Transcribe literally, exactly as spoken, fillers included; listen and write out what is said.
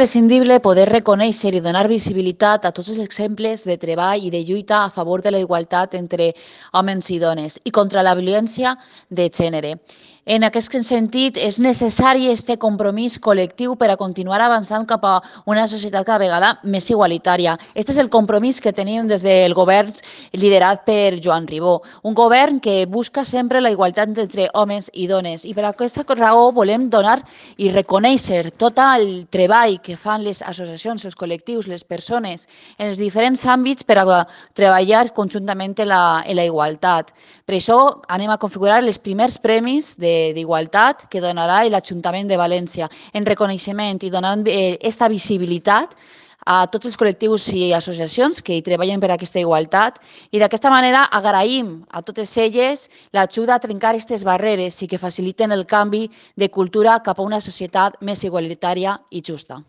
imprescindible poder reconèixer i donar visibilitat a tots els exemples de treball i de lluita a favor de la igualtat entre homes i dones i contra la violència de gènere. En aquest sentit, és necessari aquest compromís col·lectiu per a continuar avançant cap a una societat cada vegada més igualitària. Aquest és el compromís que tenim des del govern liderat per Joan Ribó, un govern que busca sempre la igualtat entre homes i dones. I per aquesta raó volem donar i reconèixer tot el treball que fan les associacions, els col·lectius, les persones en els diferents àmbits per a treballar conjuntament en la, en la igualtat. Per això anem a configurar els primers premis de d'igualtat que donarà l'Ajuntament de València en reconeixement i donant aquesta visibilitat a tots els col·lectius i associacions que hi treballen per aquesta igualtat i d'aquesta manera agraïm a totes elles l'ajuda a trencar aquestes barreres i que faciliten el canvi de cultura cap a una societat més igualitària i justa.